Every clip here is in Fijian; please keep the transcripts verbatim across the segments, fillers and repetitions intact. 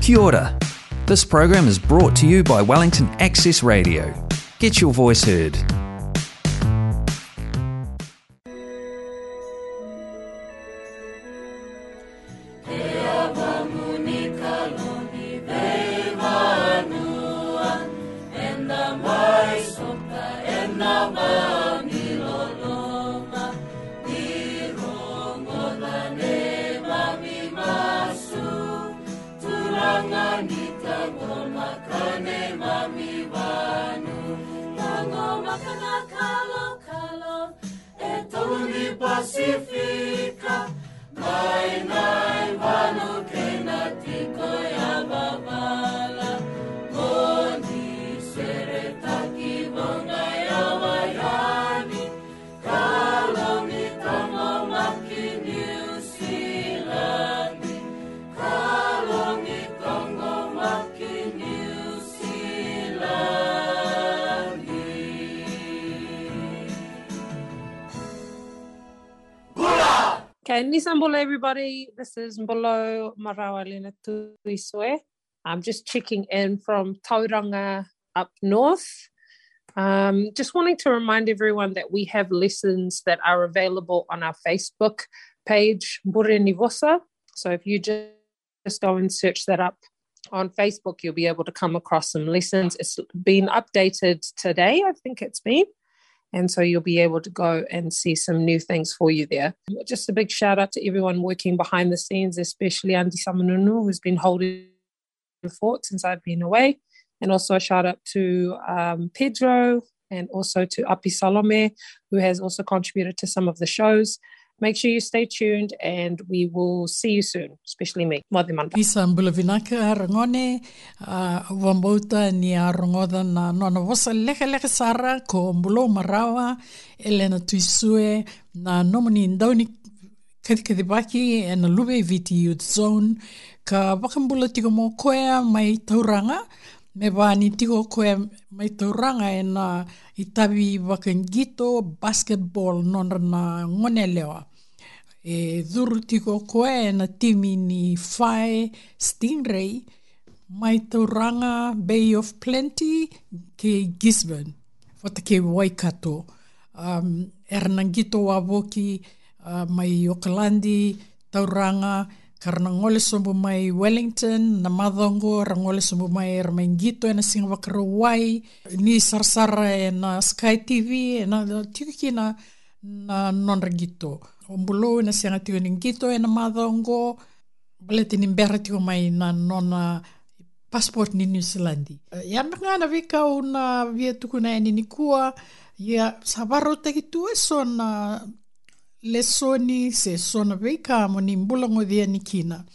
Kia ora. This program is brought to you by Wellington Access Radio. Get your voice heard. Turaga ni taqomaka neimami vanua. Taqomaka na kalokalo e tolu ni Pasifika, mai na vanua kei na tiko yavavala. Mo ni seretaki, voqa yawa yani. Kalou ni taqomaki Niusiladi. Kalou ni taqomaki Niusiladi. Bula! Okay, ni sa bula everybody. This is Mbolo Marawa Lena Tuisue. I'm just checking in from Tauranga up north. Um, just wanting to remind everyone that we have lessons that are available on our Facebook page, Bure ni Vosa. So if you just, just go and search that up on Facebook, you'll be able to come across some lessons. It's been updated today, I think it's been. And so you'll be able to go and see some new things for you there. Just a big shout out to everyone working behind the scenes, especially Andy Samanunu, who's been holding the fort since I've been away. And also a shout out to, um, Pedro and also to Api Salome, who has also contributed to some of the shows. Make sure you stay tuned and we will see you soon, especially me. Moce mada. Ni sa bula vinaka ragone, a, au vakabauta ni a rogoca na nona vosa lekaleka sara ko Bulou Marawa, Elena Tuisue, na nomuni dau ni kacikacivaki ena Luve i Viti Youth Zone, ka vakabula tiko mai o koya mai Tauranga, me vaka ni tiko o koya mai Tauranga ena itavi vakaqito basketball nodra na gone yalewa. E curu tiko o koya ena timi ni Fae Stingray, mai Tauranga, Bay of Plenty, kei Gisborne, vata kei Waikato. Um, era na qito wavoki, uh, mai Okaladi, Tauranga, ka ra na gole sobu mai Wellington, na macawa oqo, ra gole sobu mai, era mai qito ena Siga Vakarauwai, ni sarasara ena Sky T V, ena tiko kina na nodra qito. O Bulou ena sega tiko ni qito ena macawa oqo, baleta ni bera tiko mai na nona passport ni Niusiladi. Ia me ga na veika au na via tukuna yani nikua, ia sa vakarautaki tu eso na lesoni se so na veika mo ni bula goci yani kina.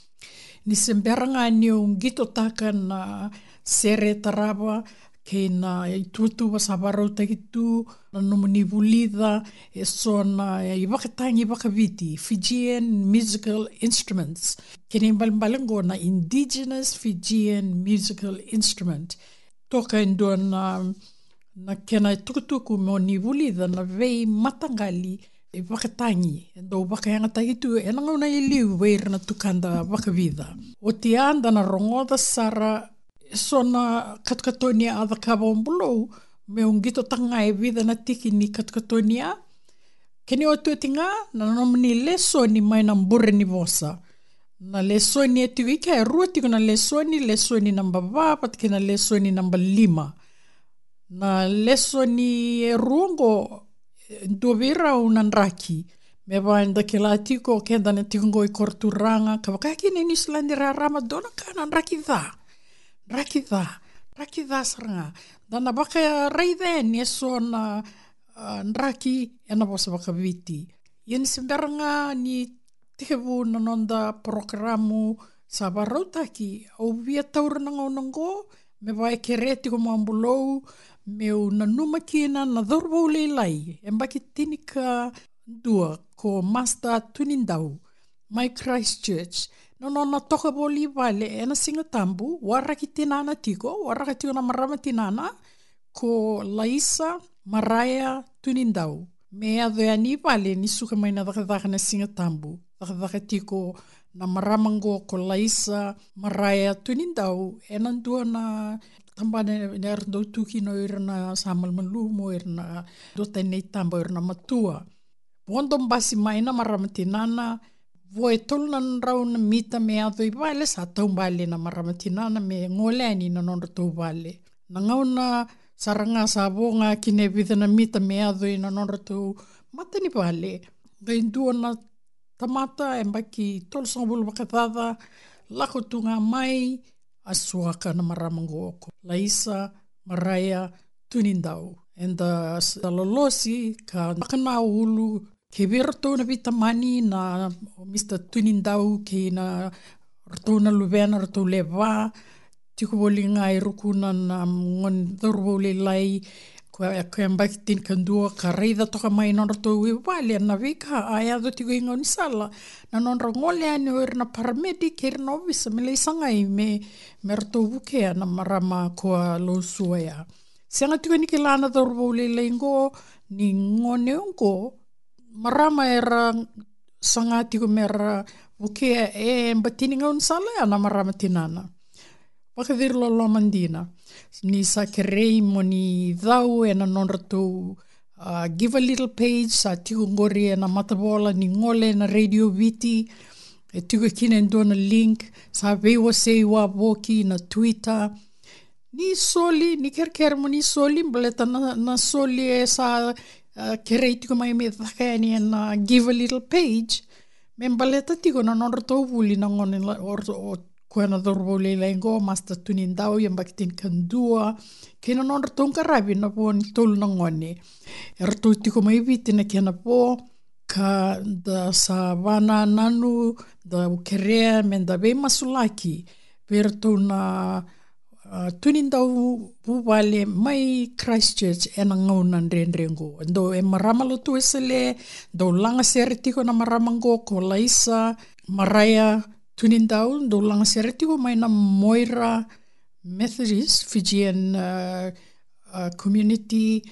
Ni se bera ga niu qitotaka na sere tarava kei na ituvatuva sa vakarautaki tu, na nomuni vulica eso na ivakatagi vakaviti, Fijian musical instruments. Kena ibalebale oqo na indigenous Fijian musical instrument. Toka e dua na, na kena itukutuku mo ni vulica na veimataqali ivakatagi e dau vakayagataki tu ena gauna i liu vei ira na tukada vakavica. Oti ya da na rogoca sara eso na katokatoni a cakava o Bulou, meu qitotaka ga e vica na tiki ni katokatoni a. Kena iotioti ga na nomuni lesoni mai na Bure ni Vosa. Na lesoni e tiko i ke, e rua tiko na lesoni, lesoni naba va vata kei na lesoni naba lima. Na lesoni e rua oqo, e dua vei rau na draki. Me vaka eda kila tiko, keda na tiko oqo i koroturaga, ka vaka kina e Niusiladi raraba, dua na ka na draki ca. Draki ca, draki ca sara ga. Da na vakaraica yani eso na, a, draki ena vosa vakaviti. Ia ni se bera ga ni tekivu na noda porokaramu sa vakarautaki, au via taura na gauna oqo me vaka e kerea tiko mai o Bulou, meu nanuma kina na cauravou lailai, e yabaki tinikadua, ko Master Tunidau, mai Christchurch. Na nona toka voli i vale ena Siga Tabu, waraki tinana tiko, waraka tiko na marama tinana, ko Laisa Maraya Tunidau, me yaco yani i vale ni suka mai na cakacaka na Siga Tabu. cakacaka tiko na marama qo ko Laisa Maraia Tunidau ena dua na tabana era dau tu kina o ira na sa malumalumu, o ira na duatani na itaba, o ira na matua. Vodo basi mai na marama tinana, vo e tolu na drau na mita me yaco i vale, sa taubale na marama tinana me gole yani na nodratou vale. Na gauna sara ga sa vo ga kina e vica na mita me yaco i na nodratou mata ni vale, qai dua na tamata e baki tolusagavulu vakacaca lako tu ga mai, a suaka na marama qo ko Laisa Maraia Tunidau. Eda sa lolosi ka vaka na ulu kei vei ratou na veitamani na Mr Tunidau kei na ratou na luvena, ratou lewe va, tiko voli ga e rukuna na gone cauravou lailai ko e, ko e baki tinikadua, ka raica toka mai nodratou i vale na veika a yaco tiko i gaunisala. Na nodra gole yani o ira na paramedic kei ira na ovisa me lai sagai me, me ratou vukea na marama ko a Losua ya. Sega tiko ni kila na cauravou lailai qo ni gone qo, marama era saga tiko me ra vukea e bati ni gaunisala ya na marama tinana. Vakaciri loloma dina. Ni sa kerei mo ni cau ena nodratou, a, Givealittle page, sa tiko qori ena matavola, ni gole ena Radio Viti, e tiko kina e dua na link, sa veiwasei wavoki na Twitter. Ni soli, ni kerekere mo ni soli, baleta na, na soli e sa, a, kerei tiko mai me caka yani ena Givealittle page, me baleta tiko na nodratou vuli na gone la, o, o koya na cauravou lailai qo, Mr Tunidau, yabaki tinikadua, kei na nodratou qaravi na vo ni tolu na gone. Eratou tiko mai Viti na kena vo, ka da sa vanananu, da kerea me da veimasulaki vei ratou na, a, Tunidau vuvale mai Christchurch ena gauna dredre qo. Dou e marama lotu Wesele, dou lagasere tiko na marama qo ko Laisa Maraia Tunidau, dou lagasere tiko mai na Moira Methodist Fijian, a, a, community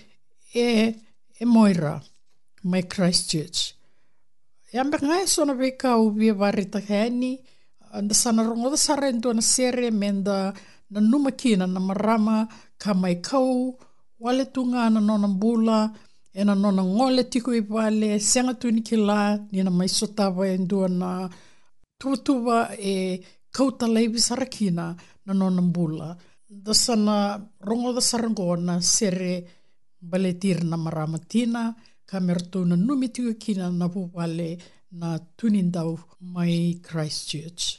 e, e Moira mai Christchurch. E a beka ga e so na veika au via vakaraitaka yani, a, da sa na rogoca sara e dua na sere me da nanuma kina na marama ka mai kau wale tu ga na nona bula, ena nona gole tiko i vale, sega tu ni kila ni na mai sotava e dua na tuvatuva e kauta laivi sara kina na nona bula. Da sa na rogoca sara qo na sere baleti ira na marama tina, ka me ratou nanumi tiko kina na vuvale na Tunidau mai Christchurch.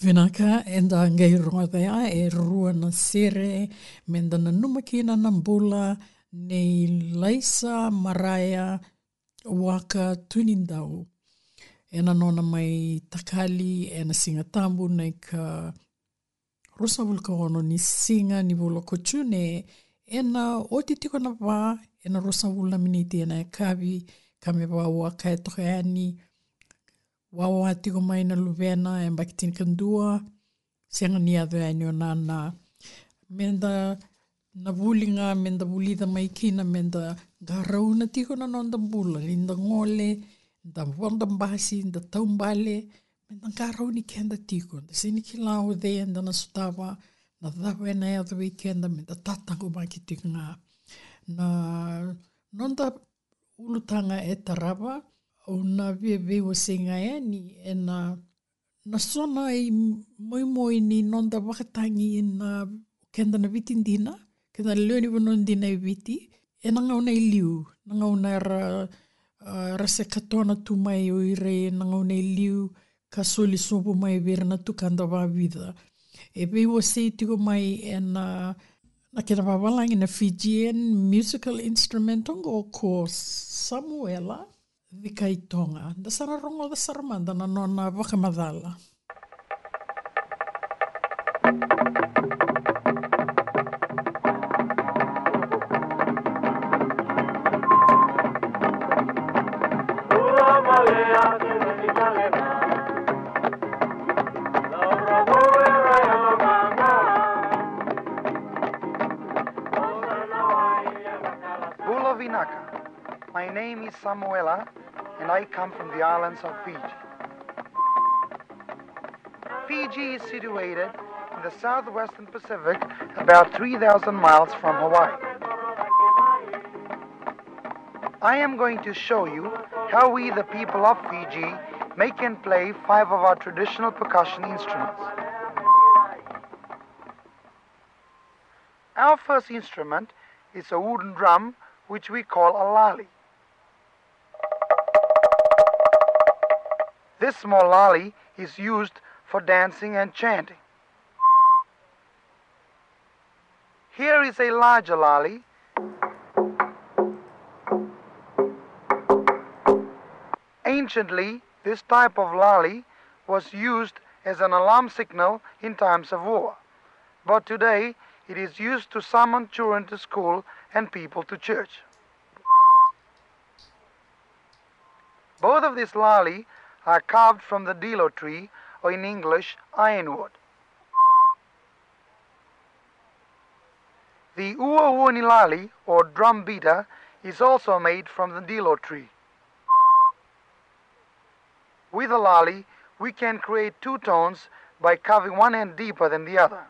Vinaka, eda qai rogoca ya e rua na sere meda nanuma kina na bula nei Laisa Maraia Waka Tunidau ena nona mai takali ena Siga Tabu na ika ruasagavulu ka ono ni siga ni vula ko June. Ena oti tiko na va, ena ruasagavulu na miniti ena yakavi, ka me vaka au a kaya toka yani, wawa tiko mai na luvena e yabaki tinikadua, sega ni yaco yani o nana. Meda na vuli ga, meda vulica mai kina, meda qarauna tiko na noda bula, ni da gole, da vodo basi, da taubale, meda qarauni keda tiko, da sega ni kila o cei eda na sotava, na cava ena yaco vei keda, meda tataqomaki tiko ga. Na noda ulutaga e tarava, au na via veiwasei ga yani ena, na so na imoimoi ni noda vakatagi na keda na Viti dina, keda na lewe ni vanua dina e Viti, ena gauna e liu, na gauna era, ah, era se katona tu mai o ira ena gauna e liu, ka soli sobu mai vei ira na tukada vakavica. E veiwasei tiko mai ena, na kena vavalagi na Fijian musical instrument oqo ko Samuela Cikaitoga. Da sa na rogoca sara mada na nona vakamacala. Bula vinaka. My name is Samuela, and I come from the islands of Fiji. Fiji is situated in the southwestern Pacific, about three thousand miles from Hawaii. I am going to show you how we, the people of Fiji, make and play five of our traditional percussion instruments. Our first instrument is a wooden drum, which we call a lali. This small lali is used for dancing and chanting. Here is a larger lali. Anciently, this type of lali was used as an alarm signal in times of war, but today it is used to summon children to school and people to church. Both of these lali are carved from the dilo tree, or in English, ironwood. The uauani lali, or drum beater, is also made from the dilo tree. With the lali, we can create two tones by carving one end deeper than the other.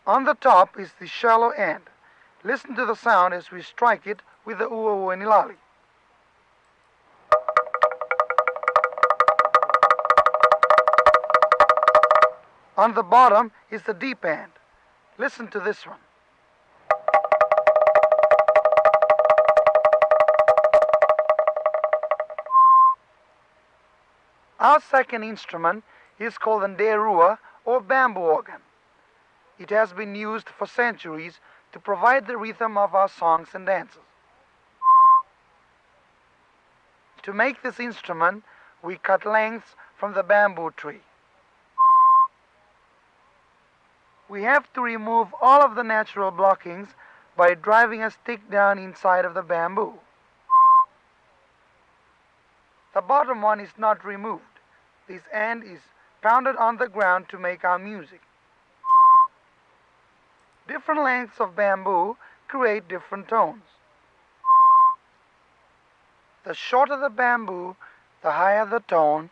On the top is the shallow end. Listen to the sound as we strike it with the uauani lali. On the bottom is the deep end. Listen to this one. Our second instrument is called the nderua or bamboo organ. It has been used for centuries to provide the rhythm of our songs and dances. To make this instrument, we cut lengths from the bamboo tree. We have to remove all of the natural blockings by driving a stick down inside of the bamboo. The bottom one is not removed. This end is pounded on the ground to make our music. Different lengths of bamboo create different tones. The shorter the bamboo, the higher the tone.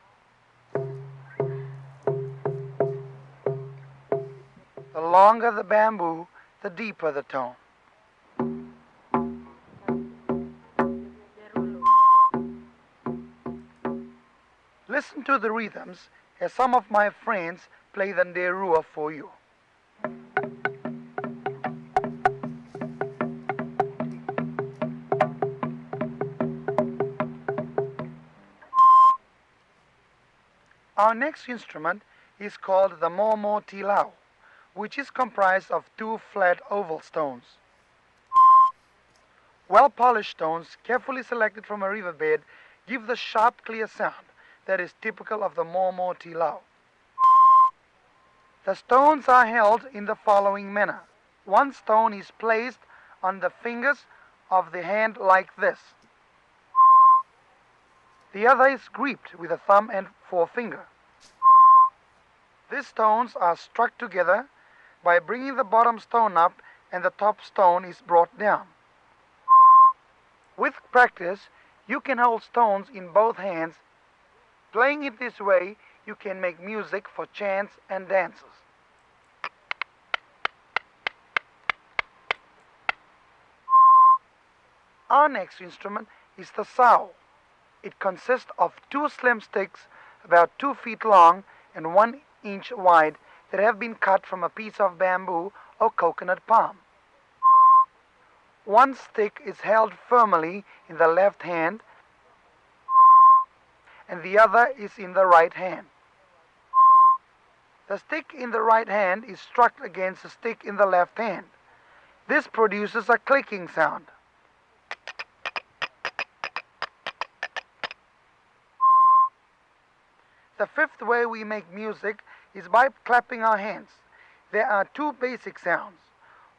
The longer the bamboo, the deeper the tone. Listen to the rhythms as some of my friends play the nderua for you. Our next instrument is called the momo tilau, which is comprised of two flat oval stones. Well-polished stones, carefully selected from a riverbed, give the sharp, clear sound that is typical of the momo tilau. The stones are held in the following manner. One stone is placed on the fingers of the hand like this. The other is gripped with the thumb and forefinger. These stones are struck together by bringing the bottom stone up, and the top stone is brought down. With practice, you can hold stones in both hands. Playing it this way, you can make music for chants and dances. Our next instrument is the sau. It consists of two slim sticks about two feet long and one inch wide that have been cut from a piece of bamboo or coconut palm. One stick is held firmly in the left hand and the other is in the right hand. The stick in the right hand is struck against the stick in the left hand. This produces a clicking sound. The fifth way we make music is by clapping our hands. There are two basic sounds.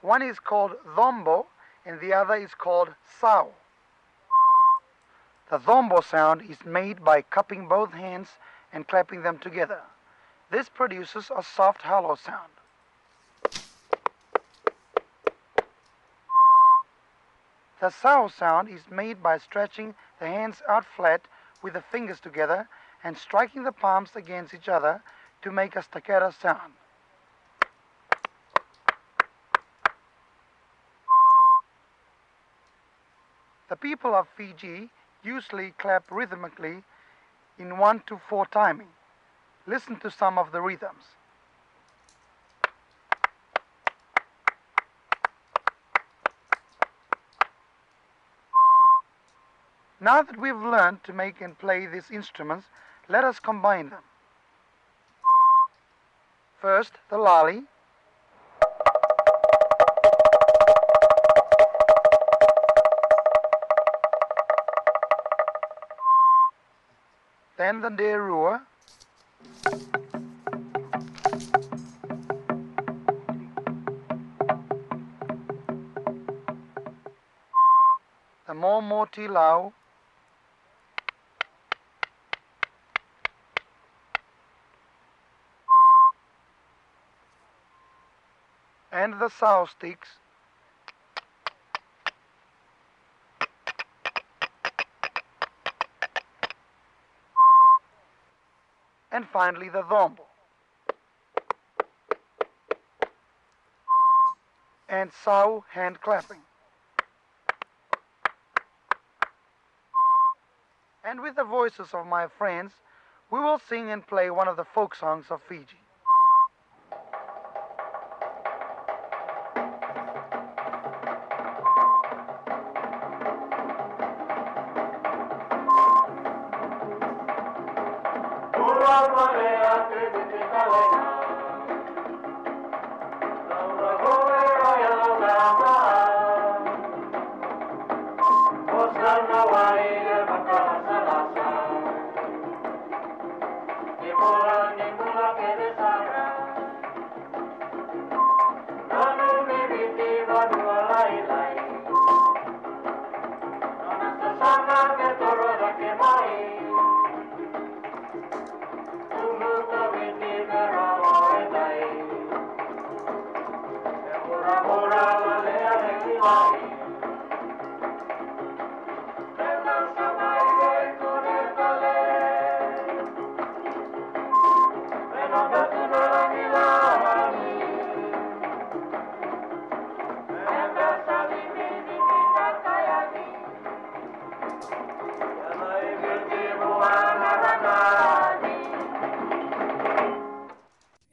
One is called dombo and the other is called sau. The dombo sound is made by cupping both hands and clapping them together. This produces a soft hollow sound. The sau sound is made by stretching the hands out flat with the fingers together and striking the palms against each other to make a staccato sound. The people of Fiji usually clap rhythmically in one to four timing. Listen to some of the rhythms. Now that we've learned to make and play these instruments, let us combine them. First, the lali. Then the nderua. The momo tilau. And the sau sticks. And finally the dombo. And sau hand clapping. And with the voices of my friends, we will sing and play one of the folk songs of Fiji.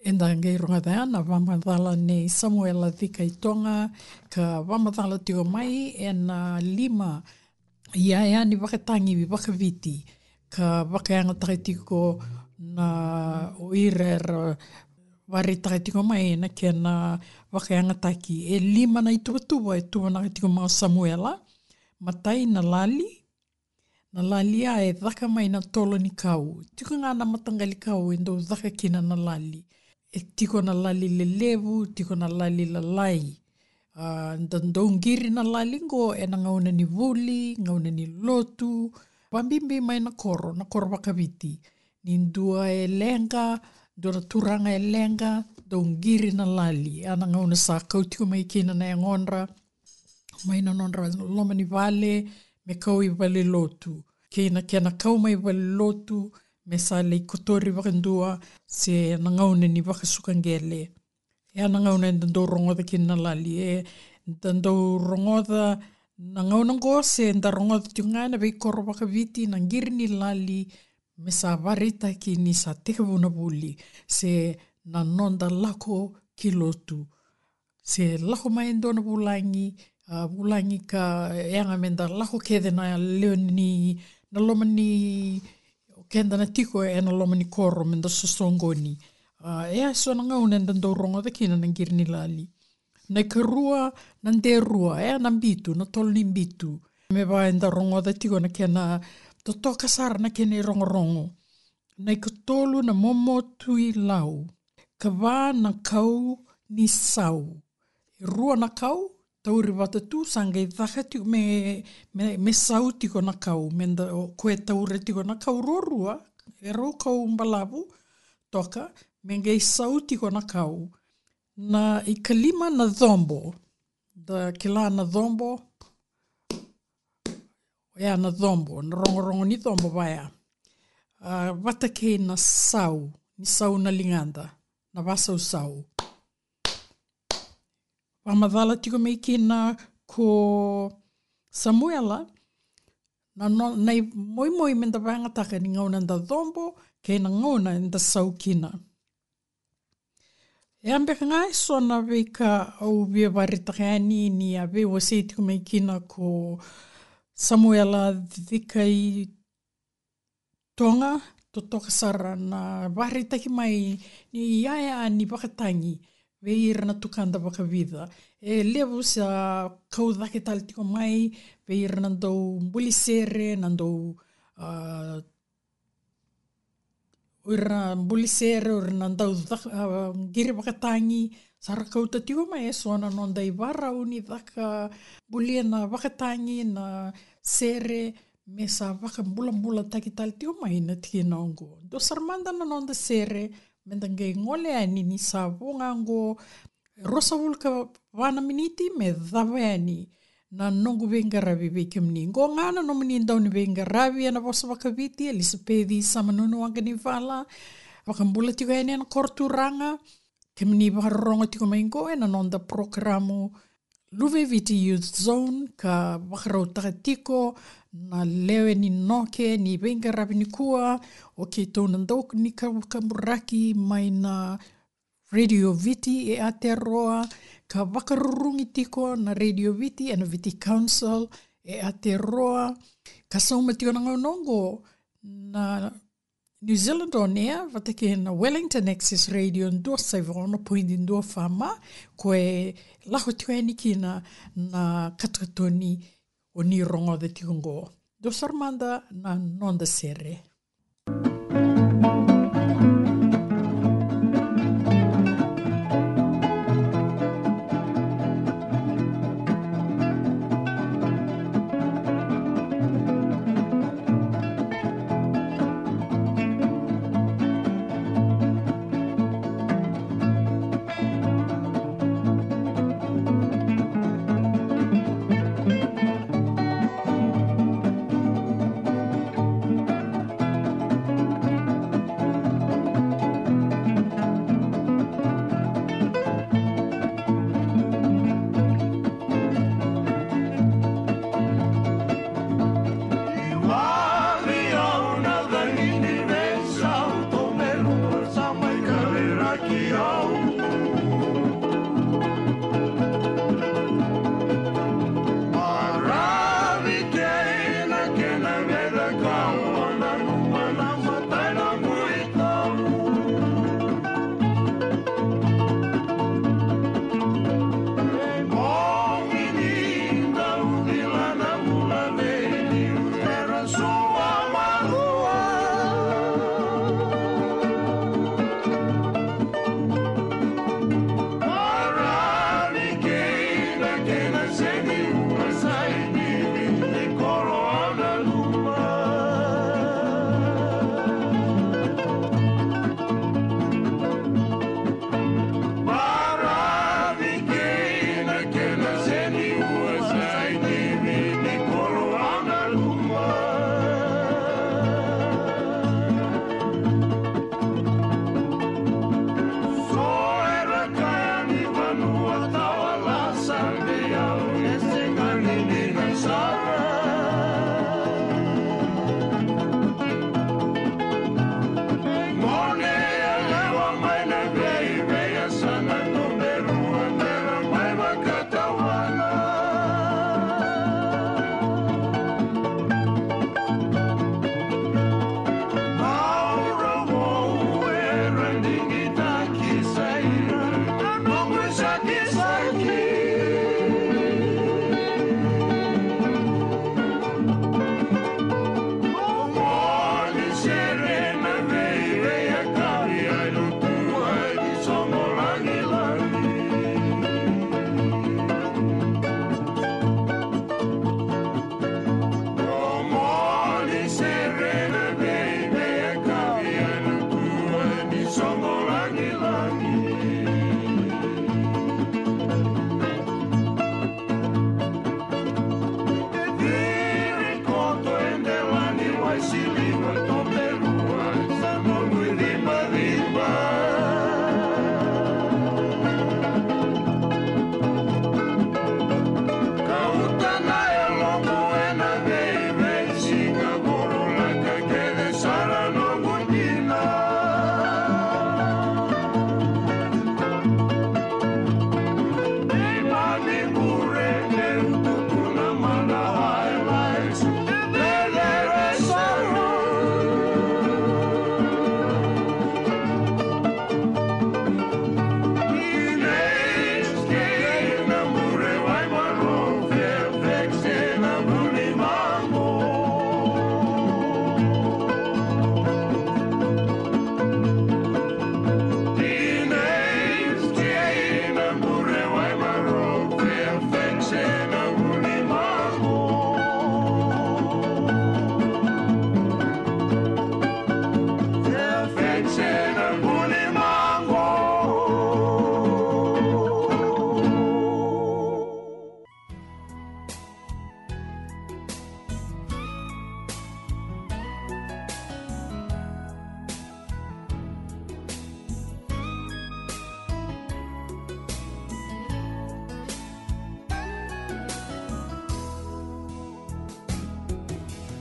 Eda qai rogoca na vakamacala nei Samuela Cika i Toga, ka vakamacala tiko mai ena lima iyaya ni vakatagi vakaviti, ka vakayagataka tiko na o ira era vakaraitaka tiko mai na kena vakayagataki. E lima na ituvatuva e tuvanaka tiko mai o Samuela. Matai, na lali. Na lali ya e caka mai na tolo ni kau. Tiko ga na mataqali kau e dau caka kina na lali. E tiko na lali lelevu, tiko na lali lalai. A, da dau qiri na lali qo ena gauna ni vuli, gauna ni lotu, vabibi mai na koro, na koro vakaviti. Ni dua e leqa, dua na turaga e leqa, dau qiri na lali. A, na gauna sa kau tiko mai kina na yagodra mai na nodra loma ni vale me kau i valelotu, kei na kena kau mai valelotu me sa lai kotori vakadua, se na gauna ni vakasuka qele. E a na gauna eda dau rogoca kina na lali, eda dau rogoca na gauna qo, se da rogoca tiko ga ena veikoro vakaviti na qiri ni lali, me sa vakaraitaki ni sa tekivu na vuli, se na noda lako ki lotu, se lako mai e dua na vulagi, a, vulagi ka yaga me da lako kece na lewe ni, na loma ni, keda na tiko ena loma ni koro me da sosoqoni. A, e a so na gauna eda dau rogoca kina na qiri ni lali. Na ikarua, na derua, e a na bitu, na tolo ni bitu. Me vaka eda rogoca tiko na kena totoka sara na kena irogorogo. Na ikatolu, na momo tui lau. Ka va, na kau ni sau. E rua na kau, tauri vata tu, sa qai caka tiko me, me, me sau tiko na kau, me da, o koya e taura tiko na kau ruarua, e rau kau balavu toka, me qai sau tiko na kau. Na ikalima, na cobo. Da kila na cobo, oya na cobo, na rogorogo ni cobo vaya. A, vata kei na sau, ni sau na ligada, na vasausau. Vakamacala tiko mai kina ko Samuela, na no, na imoimoi me da vakayagataka ni gauna da cobo, kei na gauna da sau kina. E a beka ga e so na veika au via vakaraitaka yani ni a veiwasei tiko mai kina ko Samuela Cika i Toga, totoka sara na vakaraitaki mai ni yaya ni vakatagi vei ira na tukada vakavica. E levu sa kau cake tale tiko mai vei ira na dau buli sere, na dau, a, o ira na buli sere, o ira na dau caka, a, qiri vakatagi, sa ra kauta tiko mai e so na noda ivarau ni caka, bulia na vakatagi, na sere, me sa vakabulabulataki tale tiko mai na tikina oqo. Dua sara mada na noda sere, me da qai gole yani ni sa vo ga oqo, ruasagavulu ka va na miniti me cava yani na noqu veiqaravi vei kemuni. Qo ga na nomuni dau ni veiqaravi ena vosa vakaviti, Elisapeci Samanunu Waqanivala. Vakabula tiko yani ena koro turaga. Kemuni vakarorogo tiko mai qo ena noda porokaramu Luve i Viti Youth Zone, ka vakarautaka tiko na lewe ni noke ni veiqaravi nikua, o keitou na dau ni kabu-, kaburaki mai na Radio Viti e Aotearoa, ka vakarurugi tiko na Radio Viti ena Viti Council e Aotearoa, ka sauma tiko na gauna oqo na New Zealand On Air vata kei na Wellington Access Radio dua saiva ono poidi dua F M, ko e lako tiko yani kina na katokatoni o ni rogoca tiko qo. Dua sara mada na noda sere.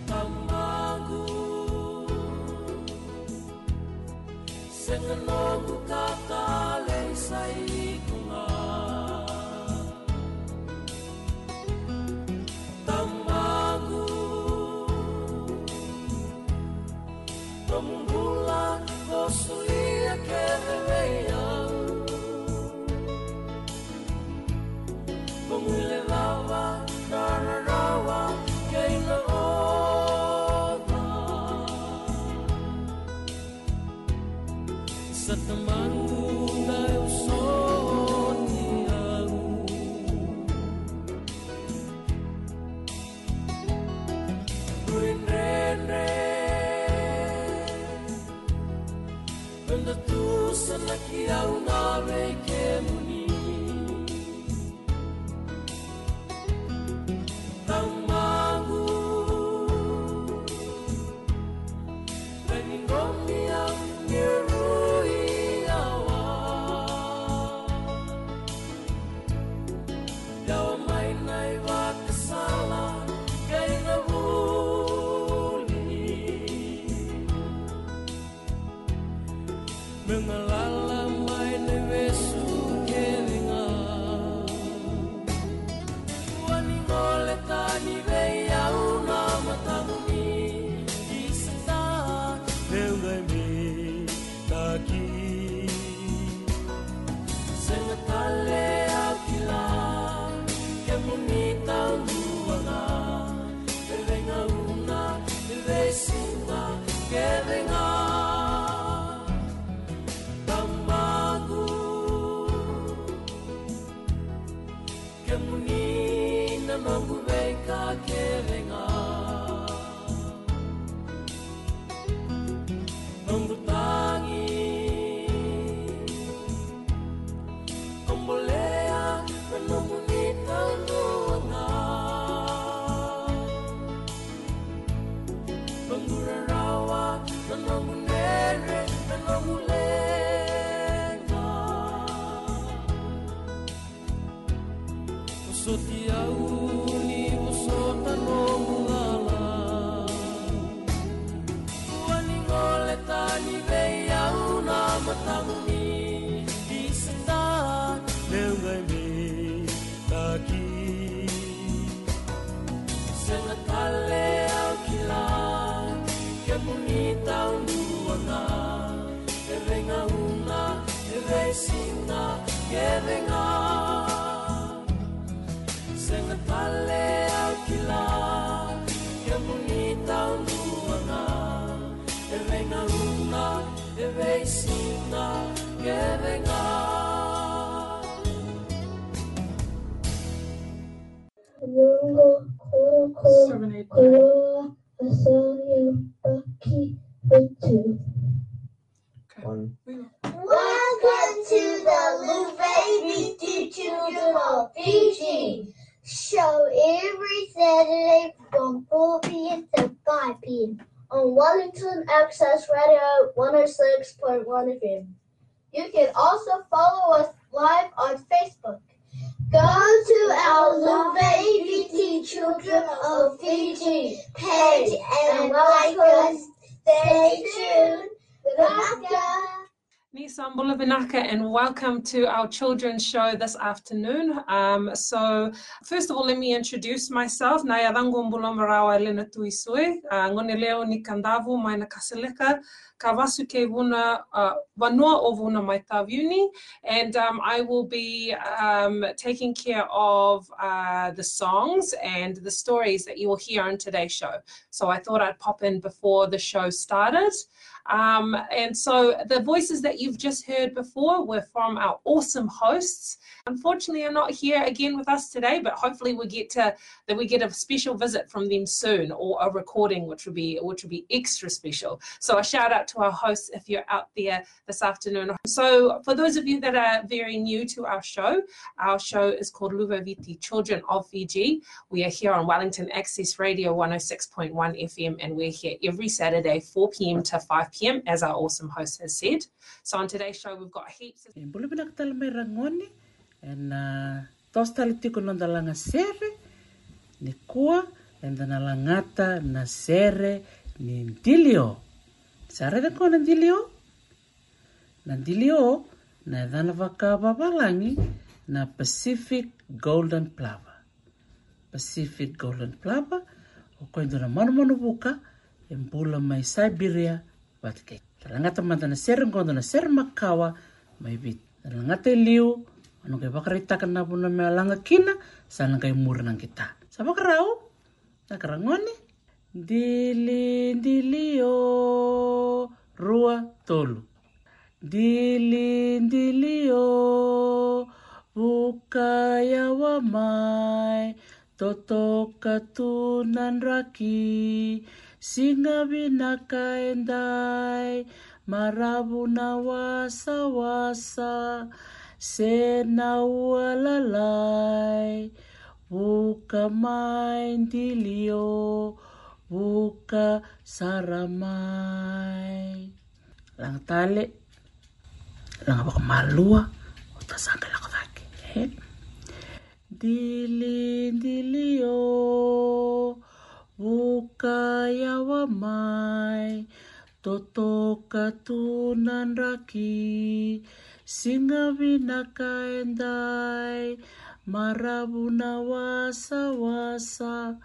Tamaqu, sega noqu ka talei sa iko ga. Tamaqu, nomu Solia kece vei au. Mo guilecava na rarawa kei na oca. Sa Tamaqu, dou soti au. Dredre. Eda tu sa na ki au na vei kemuni. Tamaqu, veni nomi au ni rui awa. Yawa mai na ivakasala kei na vuli. Me galala mai na vesu kece ga. Kua ni gole tani vei au na matamuni. Isa, levu qai me taki. Sega tale au kila, kemuni taudua ga. E veigauna, e veisiga kece ga. Tamaqu, kemuni na noqu veika kece ga. Noqu tagi, o bolea na nomuni taudua ga. Noqu rarawa, na noqu dredre, na noqu leqa. Vosoti au ni vosota noqu lala. Kua ni gole tani vei au na matamuni. Isa, levu qai me taki. Sega tale au kila, kemuni taudua ga. E veigauna, e veisiga kece ga. Sega tale au kila, kemuni taudua ga. E veigauna, e veisiga kece ga. Seven, eight, nine. Okay. One. Welcome to the Luvei Viti Children of Fiji show every Saturday from four p.m. to five p.m. on Wellington Access Radio one oh six point one F M. You can also follow us live on Facebook. Go to our Luvei Viti Children of Fiji page and like us. Stay tuned. Vinaka. Ni sa bula vinaka and welcome to our children's show this afternoon. Um, so, first of all, let me introduce myself. Na yacaqu o Bula Marawa Elena Tuisue, uh, gone lewe ni Kadavu mai Nakasaleka, ka vasu kei Vuna, uh, vanua o Vuna mai Taveuni, and, um, I will be, um, taking care of, uh, the songs and the stories that you will hear on today's show. So I thought I'd pop in before the show started. Um, and so the voices that you've just heard before were from our awesome hosts. Unfortunately, are not here again with us today, but hopefully we get to that we get a special visit from them soon, or a recording, which would be, which would be extra special. So a shout out to our hosts if you're out there this afternoon. So for those of you that are very new to our show, our show is called Luvei Viti Children of Fiji. We are here on Wellington Access Radio one oh six point one F M, and we're here every Saturday, four p.m. to five p.m., as our awesome host has said. So on today's show, we've got heaps of... E bula vinaka tale mai ragone, ena, uh, toso tale tiko na noda lagasere. Nikua eda na lagata na sere ni dilio. Sa raica koya na dilio? Na dilio na yacana vakavavalagi na Pacific Golden Plover. Pacific Golden Plover, o koya e dua na manumanu vuka e bula mai Siberia vata kei. Lagata mada na sere qo, dua na sere makawa mai Viti. Lagata e liu, au na qai vakaraitaka na vanua me laga kina, sa na qai muri na qita. Sa vakarau? Na karagone. Dili, dili o, rua, tolu. Dili, dili o, vuka yawa mai, totoka tu na draki, siga vinaka e dai, maravu na wasawasa, se na ua lalai, vuka mai dili o, vuka sara mai. Laga tale, laga vakamalua, o ta sa qai lako cake. E? Dili, dili o, vuka yawa mai, totoka tu na draki, siga vinaka e dai, maravu na wasawasa,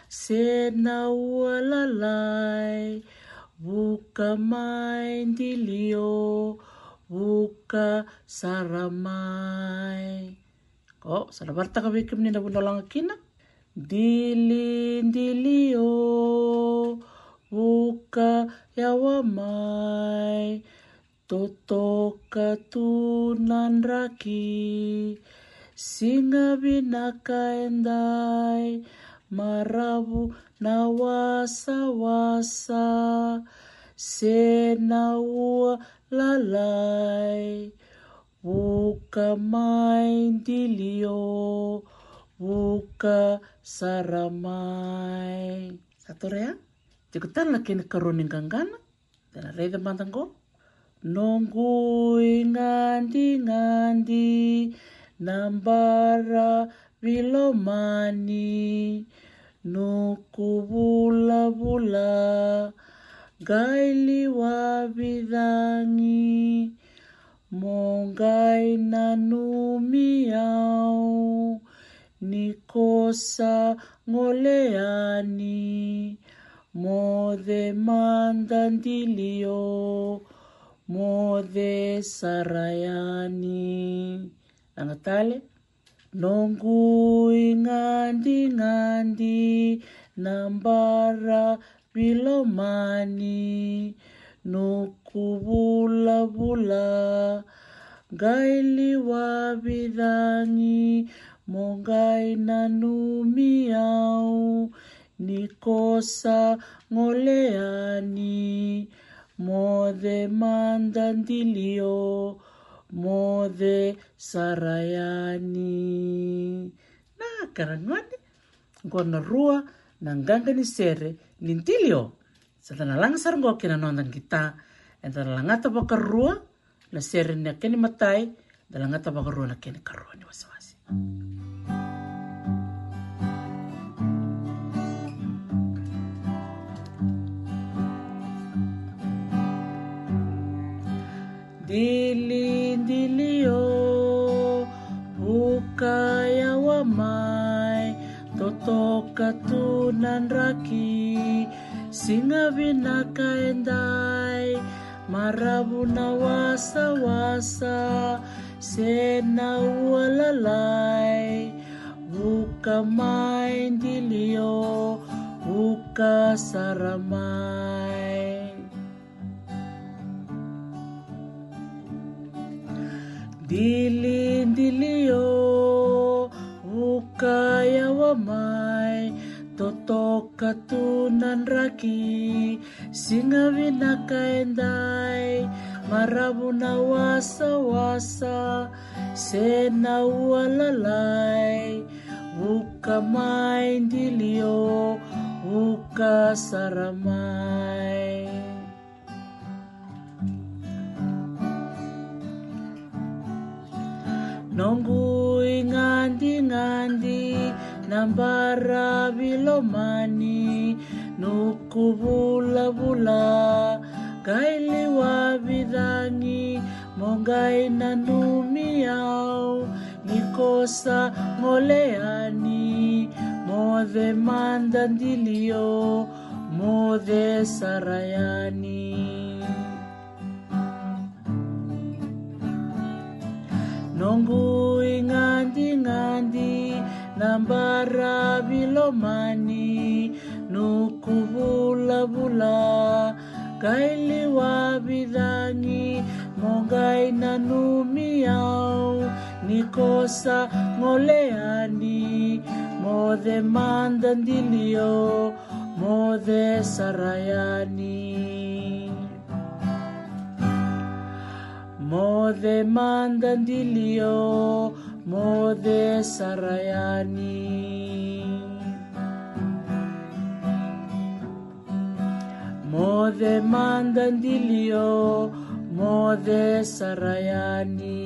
se na ua lalai, vuka mai dili o, vuka sara mai. Ko, sa na varataka vei kemuni na vanua laga kina. Dili, dili o, vuka yawa mai, totoka tu na draki, siga vinaka e dai, maravu na wasawasa, se na ua lalai, vuka mai dili o, vuka sara mai. Sa torea? Tiko tale na kena karua ni qaqana. Da na raica mada qo. Noqu igadingadi na bara vilomani, nuku vulavula, qai liwa vicagi, mo qai nanumi au, ni ko sa gole yani, moce mada dili o, moce sara yani. Laga tale. Noqu igadingadi na bara vilomani, nuku vulavula, qai liwa vicagi, mo qai nanumi au, ni ko sa gole yani, moce mada dili o, moce sara yani. Na karagone, qo na rua na qaqa ni sere ni dili o. Sa da na laga sara qo kei na noda qita. Eda na lagata vakarua na sere na kena imatai, da lagata vakarua na kena ikarua ni wasewase. Dili, dili o, vuka yawa mai, totoka tu na draki, siga vinaka e dai, maravu na wasawasa, se na ua lalai, vuka mai dili o, vuka sara mai. Dili, dili o, vuka yawa mai, totoka tu na draki, siga vinaka e dai, maravu na wasawasa, se na ua lalai, vuka mai dili o, vuka sara mai. Noqu igadingadi na bara vilomani, nuku vulavula, qai liwa vicagi, mo qai nanumi au, ni ko sa gole yani, moce mada dili o, moce sara yani. Noqu igadingadi na baravi lomani, nuku vulavula qai liwavi cagi, mo qai nanumi au ni ko sa gole yani. Moce mada Dilio, moce sara yani. Moce mada Dilio, moce sara yani. Moce mada Dilio, moce sara yani.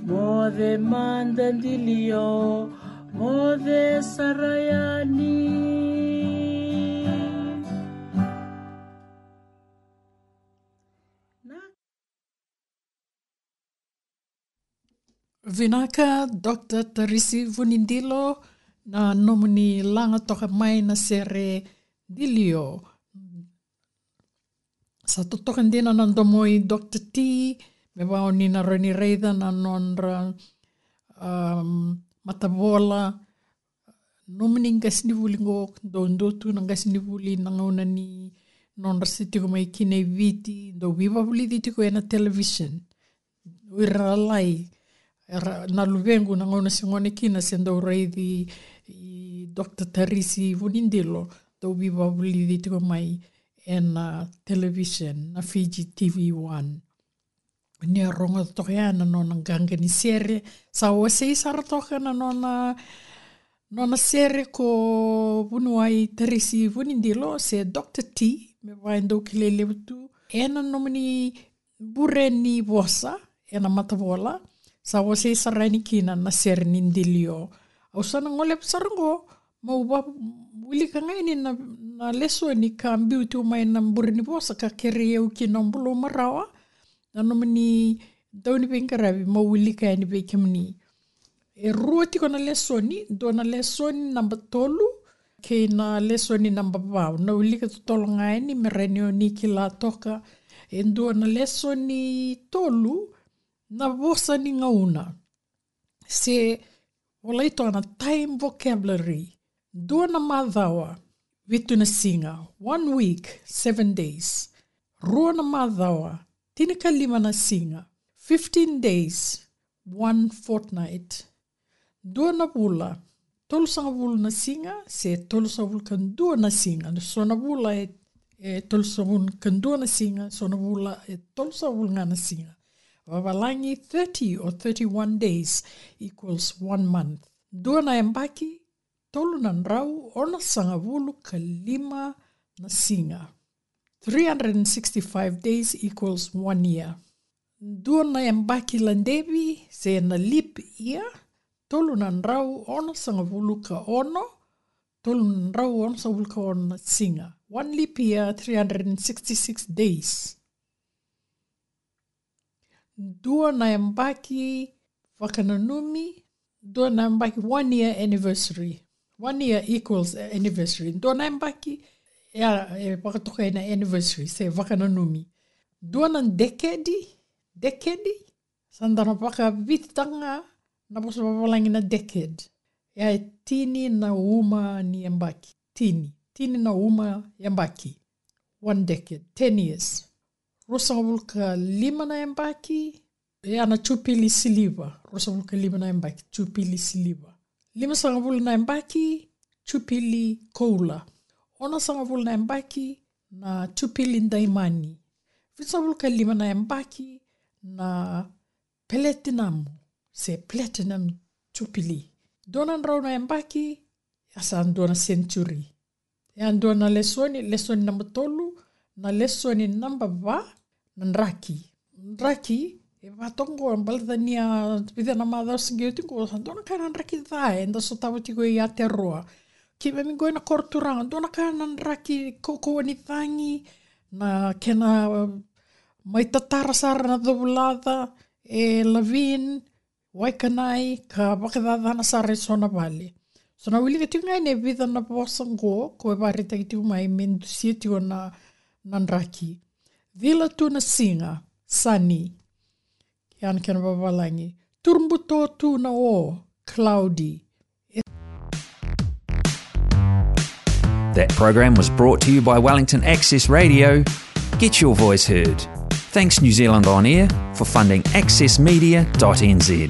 Moce mada Dilio, moce sara yani. Na. Vinaka, Doctor Tarisi Vunidilo, na nomuni laga toka mai na sere Dilio. Sa totoka dina na domo i Doctor T, me vaka oni na rawa ni raica na nodra, um, matavola, nomuni qasenivuli qo, dou dua tu na qasenivuli na gauna ni nodra se tiko mai kina i Viti, dou veivakavulici tiko ena television. O ira na lai, era na luvequ na gauna se gone kina se dau raici i Doctor Tarisi Vunidilo, dau veivakavulici tiko mai ena television, na Fiji T V One. Ni a rogoca toka ya na nona qaqa ni sere, sa wasei sara toka na nona, nona sere ko Vuniwai Tarisi Vunidilo se Doctor T, me vaka e dau kilai levu tu. Ena nomuni bure ni vosa ena matavola, sa wasei sara yani kina na sere ni Dilio. Au sa na goleva sara qo, meu wilika ga yani na, na lesoni ka biu tu mai na bure ni vosa ka kerei au kina o Bulou Marawa, na nomuni dau ni veiqaravi, meu wilika yani vei kemuni. E rua tiko na lesoni, dua na lesoni naba tolu kei na lesoni naba va. Na wilika totolo ga yani me rawa ni oni kila toka. E dua na lesoni tolu, na vosa ni gauna. Se volai toka na time vocabulary. Dua na macawa, vitu na siga. One week, seven days. Rua na macawa, tinikalima na siga. Fifteen days, one fortnight. Dua na vula, tolusagavulu na siga se tolusagavulu ka dua na siga. So na vula e, e tolusagavulu ka dua na siga, so na vula e tolusagavulu ga na siga. Vavalagi, thirty or thirty-one days equals one month. Dua na yabaki, tolu na drau onosagavulu ka lima na siga. Three hundred and sixty-five days equals one year. Dua na yabaki ladevi se na leap year, tolu na drau onosagavulu ka ono, tolu na drau onosagavulu ka ono na siga. One leap year, three hundred and sixty-six days. Dua na yabaki vakananumi, dua na yabaki, one year anniversary. One year equals anniversary. Dua na yabaki, ya, e vakatokai na anniversary se vakananumi. Dua na dekedi, dekedi, sa da na vakavititaka ga na vosa vavalagi na decade. Ya e tini na uma ni yabaki. Tini. Tini na uma yabaki. One decade. Ten years. Ruasagavulu ka lima na yabaki, ya na jupili siliva. Ruasagavulu ka lima na yabaki, jupili siliva. Limasagavulu na yabaki, jupili koula. Onosagavulu na yabaki, na jupili daimani. Vitusagavulu ka lima na yabaki, na peletinamu se platinum jupili. Dua na drau na yabaki, ya sa dua na senituri. Ya dua na lesoni, lesoni naba tolu, na lesoni naba va, na draki. Draki, e vatoqo, baleta ni a vica na macawa se qai oti qo, sa dua na ka na draki ca eda sotava tiko i Aotearoa. Keimami qo ena koro turaga, dua na ka na draki, kaukauwa ni cagi, na kena mai tatara sara na covulaca, e Laveen, Waikanae, ka vakacacana sara e so na vale. So na wilika tiko ga yani e vica na vosa qo, ko e vakaraitaki tiko mai me dusia tiko na, na draki. Cila tu na siga, sunny. Ia na kena vavalagi, turbuto tu na o, cloudy. That program was brought to you by Wellington Access Radio. Get your voice heard. Thanks New Zealand On Air for funding access media dot N Z.